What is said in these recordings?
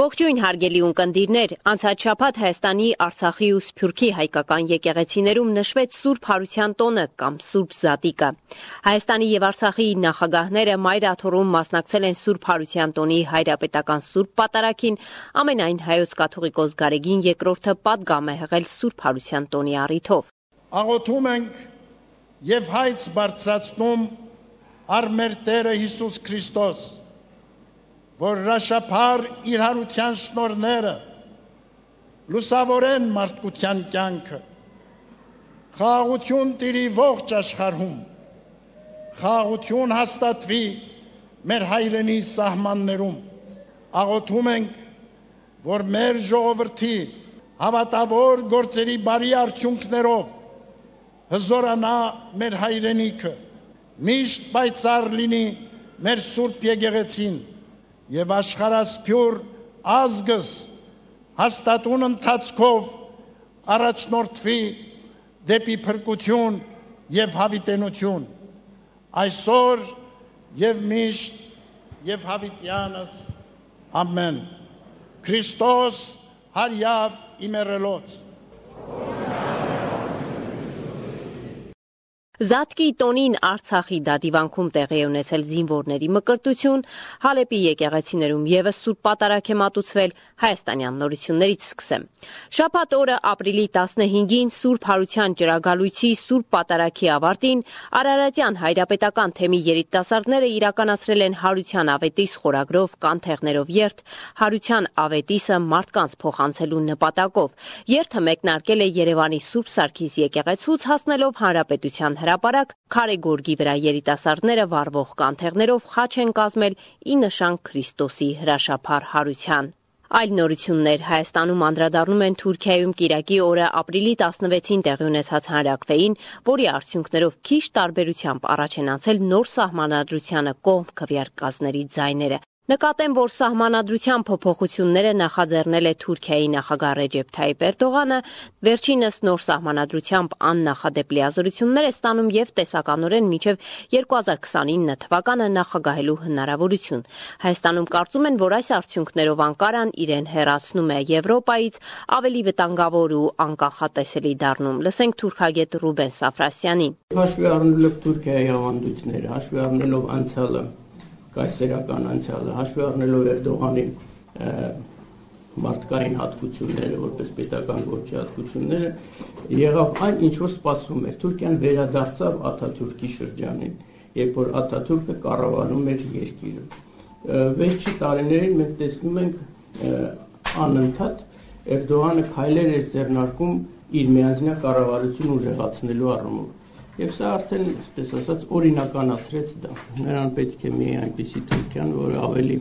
Ողջույն հարգելի ունկնդիրներ, անցած շաբաթ Հայաստանի, Արցախի ու Սփյուռքի հայկական եկեղեցիներում նշվեց Սուրբ Հարության տոնը կամ Սուրբ Զատիկը։ Հայաստանի եւ Արցախի նախագահները Մայր աթոռում մասնակցել են Սուրբ Հարության տոնի հայրապետական Սուրբ Պատարագին, ամենայն Հայոց կաթողիկոս Գարեգին II-ը պատգամ է հղել Սուրբ Հարության տոնի առիթով։ Աղոթում ենք եւ հայց բարձրացնում առ մեր Տերը Հիսուս Քրիստոս, որ հրաշափառ իր հարության շնորհները լուսավորեն մարդկության կյանքը, խաղաղություն տիրի ողջ աշխարհում, խաղաղություն հաստատվի մեր հայրենի սահմաններում։ Աղոթում ենք, որ մեր ժողովրդի հավատավոր գործերի բարի արդյունքներով հզորանա մեր հայրենիքը, միշտ պայծառ լինի մեր Սուրբ Եկեղեցին եւ աշխարհասփյուր ազգս հաստատուն ընթացքով առաջնորդվի դեպի փրկություն եւ հավիտենություն այսօր եւ միշտ եւ հավիտյանս ամեն Քրիստոս հարյավ իմերելոց Զատկի տոնին Արցախի դատիվանքում տեղի ունեցել զինվորների մկրտություն, Հալեպի եկեղեցիներում եւս Սուրբ Պատարագ է մատուցվել, հայաստանյան նորություններից սկսեմ։ Շաբաթ օրը ապրիլի 15-ին Սուրբ Հարության ճրագալույցի Սուրբ Պատարագի ավարտին Արարատյան հայրապետական թեմի երիտասարդները իրականացրել են Հարության ավետիս խորագրով կանթեղներով երթ, Հարության ավետիսը մարդկանց փոխանցելու նպատակով։ Երթը մեկնարկել է Երևանի Սուրբ Սարգիս եկեղեցուց հասնելով Հանրապետության հրապարակ, Քարե գորգի վրա երիտասարդները վառվող կանթեղներով խաչ են կազմել ի նշան Քրիստոսի հրաշափառ հարության։ Այլ նորություններ Հայաստանում անդրադառնում են Թուրքիայում կիրակի օրը ապրիլի 16-ին տեղի ունեցած հանրաքվեին, որի արդյունքներով քիչ տարբերությամբ առաջ են անցել նոր սահմանադրությանը կողմ քվեարկածների ձայները։ Նկատեմ, որ սահմանադրության փոփոխությունները նախաձեռնել է Թուրքիայի նախագահ Ռեջեփ Թայիփ Էրդողանը, վերջինս նոր սահմանադրությամբ աննախադեպ լիազորություններ է ստանում եւ տեսականորեն մինչեւ 2029 թվականը նախագահելու հնարավորություն։ Հայաստանում կարծում են, որ այս արդյունքներով Անկարան իրեն հեռացնում է Եվրոպայից, ավելի վտանգավոր ու անկախատեսելի դառնում։ Լսենք թուրքագետ Ռուբեն Սաֆրասյանին։ Հաշվի առնելով Թուրքիայի ավանդույթները, հաշվի առնելով անցյալը, կայսերական անցյալը, հաշվի առնելով Էրդողանի մարդկային հատկությունները, որպես պետական գործի հատկությունները, եղավ այն, ինչ որ սպասվում էր։ Թուրքիան վերադարձավ Աթաթուրքի շրջանին, երբ որ Աթաթուրքը կառավարում էր երկիրը։ Վերջի տարիներին մենք տեսնում ենք անընդհատ Էրդողանը քայլեր էր ձեռնարկում իր միանձնյա կառավարությունը ուժեղացնելու առումով։ Եվ սա արդեն, այսպես ասած, օրինականացրեց դա։ Նրան պետք է մի այնպիսի Թուրքիան, որը ավելի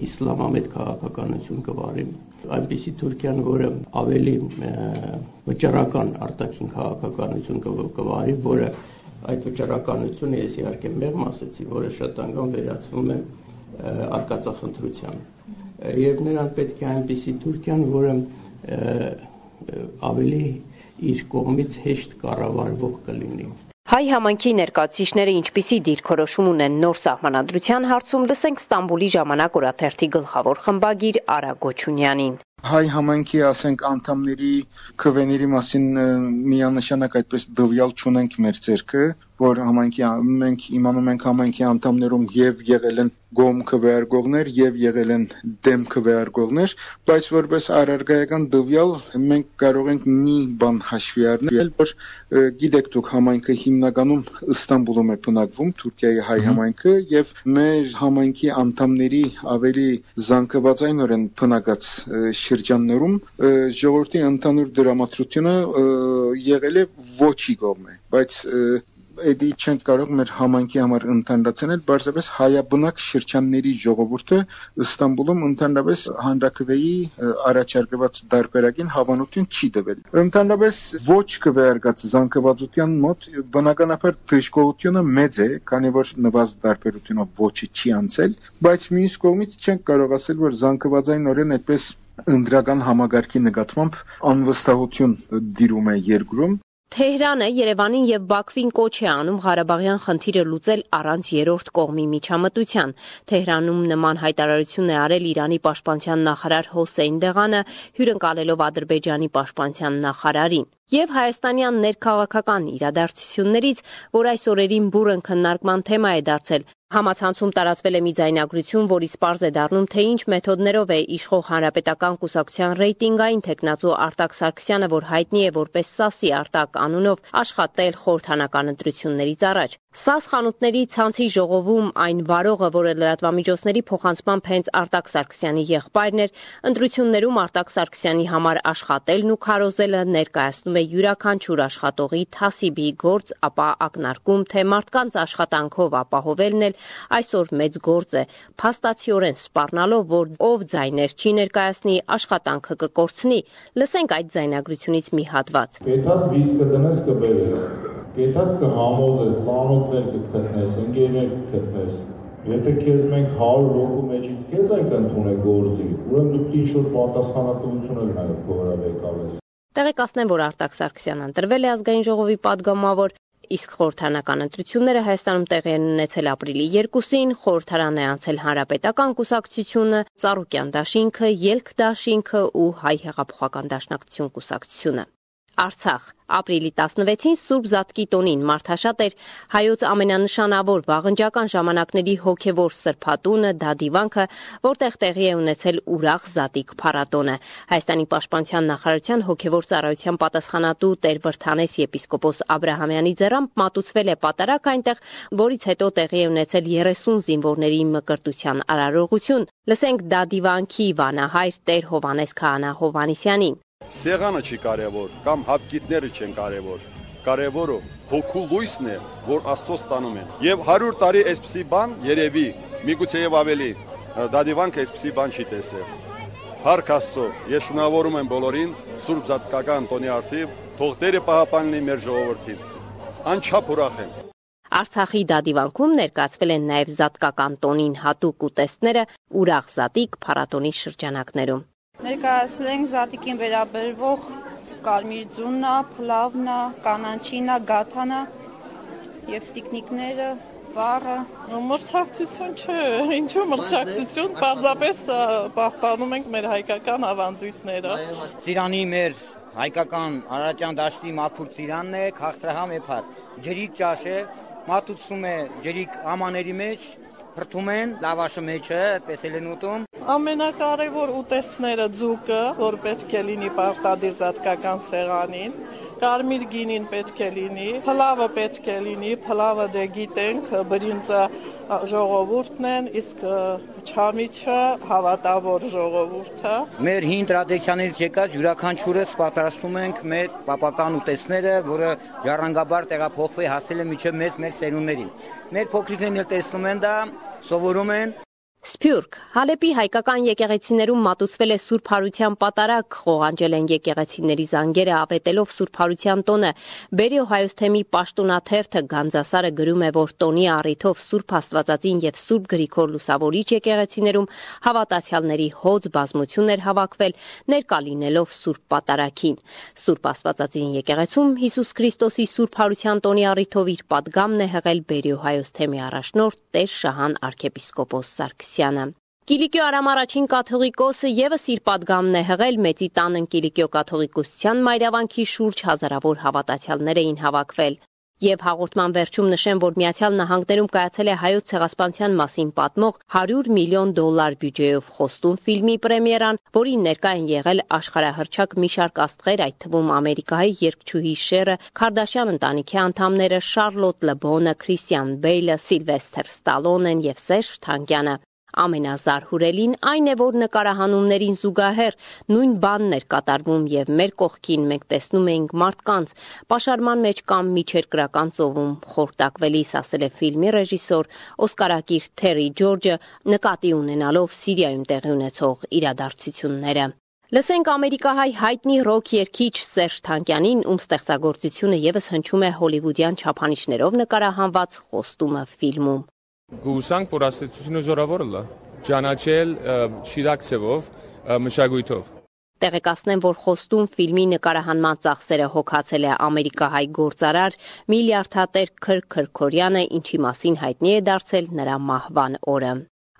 իսլամամետ քաղաքականություն կվարի, այնպիսի Թուրքիան, որը ավելի վճռական արտաքին քաղաքականություն կվարի, որը այդ վճռականությունը, ես իհարկե մեղմ ասեցի, որը շատ անգամ վերածվում է արկածախնդրության։ Եվ նրան պետք է այնպիսի Թուրքիան, որը ավելի իր կողմից հեշտ կառավարվող կլինի։ Հայ համայնքի ներկայացուցիչները ինչպիսի դիրքորոշում ունեն նոր սահմանադրության հարցում, լսենք Ստամբուլի ժամանակ օրաթերթի գլխավոր խմբագիր Արա Գոչունյանին։ Հայ համայնքի, ասենք, անդամների քվեների մասին միանշանակ այդպես դվյալ չունենք մեր ձեռքը, որ մենք իմանում ենք համայնքի անդամներում եւ եղել են գոմ քվեարկողներ եւ եղել են դեմ քվեարկողներ, բայց որպես առարգայական դվյալ մենք կարող ենք մի բան հաշվի առնել, որ գիտեք դուք համայնքը հիմնականում Ստամբուլում է բնակվում, Թուրքիայի հայ համայնքը, եւ մեր համայնքի անդամների ավելի զանգվածայնորեն բնակած շրջաններում ժողովրդի ընդհանուր դրամատրությունը եղել է ոչի կողմը, բայց Էդի չենք կարող մեր համայնքի համար ընդհանրացնել, բարձրապես հայաբնակ շրջանների ժողովուրդը Ստամբուլում ընդհանրապես հանրաքվեի առաջարկված դարբերակին հավանություն չի տվել։ Ընդհանրապես ոչ քվեարկած զանգվածության մոտ բնականաբար դժգոհությունը մեծ է, քանի որ նվազդ դարբերությունով ոչի չի անցել, բայց մյուս կողմից չենք կարող ասել, որ զանգվածայնորեն այդպես ընդրական համագարկի նկատմամբ անվստահություն դիրում է երկրում։ Թեհրանը Երևանին եւ Բաքվին կոչ է անում Ղարաբաղյան խնդիրը լուծել առանց երրորդ կողմի միջամտության։ Թեհրանում նման հայտարարություն է արել Իրանի պաշտպանության նախարար Հոսեյն Դեղանը, հյուրընկալելով Ադրբեջանի պաշտպանության նախարարին։ Եվ հայաստանյան ներքաղաքական իրադարձություններից, որ այս օրերին բուռն քննարկման թեմա է դարձել, համացանցում տարածվել է մի ձայնագրություն, որից պարզ է դառնում, թե ինչ մեթոդներով է իշխող Հանրապետական կուսակցության ռեյտինգային թեկնածու Արտակ Սարգսյանը, որ հայտնի է որպես Սասի Արտակ անունով, աշխատել խորհրդանական ընտրություններից առաջ։ ՍԱՍ խանութների ցանցի ժողովում այն վարողը, որը լրատվամիջոցների փոխանցմամբ հենց Արտակ Սարգսյանի եղբայրն էր, ընտրություններում Արտակ Սարգսյանի համար աշխատելն ու քարոզելը ներկայացնում է յուրաքանչյուր աշխատողի թասիբի գործ, ապա ակնարկում, թե մարդկանց աշխատանքով ապահովելն էլ այսօր մեծ գործ է, փաստացիորեն սպառնալով, որ ով ձայներ չի ներկայացնի, աշխատանքը կկորցնի։ Լսենք այդ ձայնագրությունից մի հատված։ Կեթաս վիսկը դնես կբերես, կեթաս կհամոզես, ծանոթներ կգտնես, ընկերներ կգտնես։ Եթե քեզ մենք 100 հոգու մեջից քեզ ենք ընդունել գործի, ուրեմն դու ինչ-որ պատասխանատվություն էլ նաև կորավեկալես։ Տեղեկացնեմ, որ Արտակ Սարգսյանն ընտրվել է ազգային ժողովի պատգամավոր, իսկ խորհրդանական ընտրությունները Հայաստանում տեղի են ունեցել ապրիլի 2-ին, խորհրդարան է անցել Հանրապետական կուսակցությունը, Ծառուկյան դաշինքը, Ելք դաշինքը ու Հայ հեղափոխական դաշնակցություն կուսակցությունը։ Արցախ ապրիլի 16-ին Սուրբ Զատկի տոնին մարդաշատ էր հայոց ամենանշանավոր վաղնջական ժամանակների հոգևոր սրբատունը Դադիվանքը, որտեղ տեղի է ունեցել ուրախ Զատիկ փառատոնը։ Հայաստանի պաշտպանության նախարարության հոգևոր ծառայության պատասխանատու Տեր Վրթանես եպիսկոպոս Աբրահամյանի ձեռամբ մատուցվել է պատարակ այնտեղ, որից հետո տեղի է ունեցել 30 զինվորների մկրտության արարողություն։ Լսենք Դադիվանքի վանահայր Տեր Հովանես Քահանա Հովանեսյանին։ Սեղանը չի կարևոր, կամ հապկիտները չեն կարևոր։ Կարևորը հոգու լույսն է, որ Աստծո ստանում են։ Եվ 100 տարի այսպիսի բան երևի, միգուցե եւ ավելի Դադիվանքը այսպիսի բան չի տեսել։ Փառք Աստծո, ես շնորհավորում եմ բոլորին Սուրբ Զատկական տոնի արդիվ, թող Տերը պահապանի մեր ժողովրդին։ Անչափ ուրախ եմ։ Արցախի Դադիվանքում ներկայացվել են նաև Զատկական տոնին հատուկ ուտեստները ուրախ Զատիկ փառատոնի շրջանակներում։ Ներկայացնենք Զատիկին վերաբերվող կարմիր ձուննա, փլավնա, կանանչինա, գաթանա եւ տիկնիկները, ծառը։ Մրցակցություն չէ, ինչու մրցակցություն, պարզապես պահպանում ենք մեր հայկական ավանդույթները։ Ծիրանի մեր հայկական Արարատյան դաշտի մաքուր ծիրանն է, քաղցրահամ է փառ։ Ջրիկ ճաշ է, մատուցվում է ջրիկ ամաների մեջ, փրթում են, լավաշը մեջը, այդպես էլ են ուտում։ Ամենակարևոր ուտեստները ձուկը, որ պետք է լինի պարտադիր Զատկական սեղանին, կարմիր գինին պետք է լինի, փլավը պետք է լինի, փլավը դե գիտենք, բրինձը ժողովուրդն են, իսկ չամիչը հավատավոր ժողովուրդը։ Մեր հին տրադիցիաներից եկած յուրաքանչյուրս պատրաստում ենք մեր պապական ուտեստները, որը ժառանգաբար տեղափոխվի հասել է մինչև մեր սերունդներին։ Մեր փոքրիկներն էլ տեսնում են դա, սովորում են։ Սփյուռք Հալեպի հայկական եկեղեցիներում մատուցվել է Սուրբ Հարության պատարակ, խողանջել են եկեղեցիների զանգերը ավետելով Սուրբ Հարության տոնը։ Բերիո Հայոց թեմի պաշտոնաթերթը Գանձասարը գրում է, որ տոնի առիթով Սուրբ Աստվածածին եւ Սուրբ Գրիգոր Լուսավորիչ եկեղեցիներում հավատացյալների հոծ բազմություն էր հավաքվել, ներկա լինելով Սուրբ պատարակին։ Սուրբ Աստվածածին եկեղեցում Հիսուս Քրիստոսի Սուրբ Հարության տոնի առիթով իր պատգամն է հղել Բերիո Հայոց թեմի առաջնորդ Տեր Շահան arczepiskopos Սարգսյանը։ Կիլիկիո Արամ առաջին կաթողիկոսը եւս իր պատգամն է հղել Մեծի տանն Կիլիկիո կաթողիկոսության մայրավանքի շուրջ հազարավոր հավատացյալներ էին հավաքվել։ Եվ հաղորդման վերջում նշեմ, որ Միացյալ Նահանգներում կայացել է հայոց ցեղասպանության մասին պատմող $100 միլիոն բյուջեով խոստում ֆիլմի պրեմիերան, որին ներկա են եղել աշխարհահռչակ մի շարք աստղեր, այդ թվում Ամերիկայի երգչուհի Շերը, Քարդաշյան ընտանիքի անդամները Շարլոտ Լեբոնը, Քրիստիան Բեյլը, Սիլվեսթր Ստալոնեն եւ Սերժ Թանկյանը։ Ամենազարհուրելին այն է, որ նկարահանումներին զուգահեռ նույն բանն էր կատարվում եւ մեր կողքին մենք տեսնում էինք մարդկանց պաշարման մեջ կամ միջերկրական ծովում խորտակվելիս, ասել է ֆիլմի ռեժիսոր Օսկարակիր Թերի Ջորջը, նկատի ունենալով Սիրիայում տեղի ունեցող իրադարձությունները։ Լսենք ամերիկահայ հայտնի ռոք երգիչ Սերժ Թանկյանին, ում ստեղծագործությունը եւս հնչում է հոլիվուդյան չափանիշներով նկարահանված Խոստումը ֆիլմում։ Գուսանք, որ աստեցությունը զորավորը լա, ճանաչել շիրակ ցևով, մշակույթով։ Տեղեկացնեմ, որ խոստում ֆիլմի նկարահանման ծախսերը հոգացել է ամերիկահայ գործարար միլիարդատեր Քր Քրքորյանը, ինչի մասին հայտնի է դարձել նրա մահվան օրը։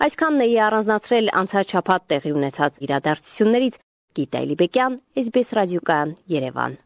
Այսքանն էի առանձնացրել անցած շաբաթ տեղի ունեցած իրադարձություններից։ Գիտա Էլիբեկյան, SBS ռադիոկայան, Երևան։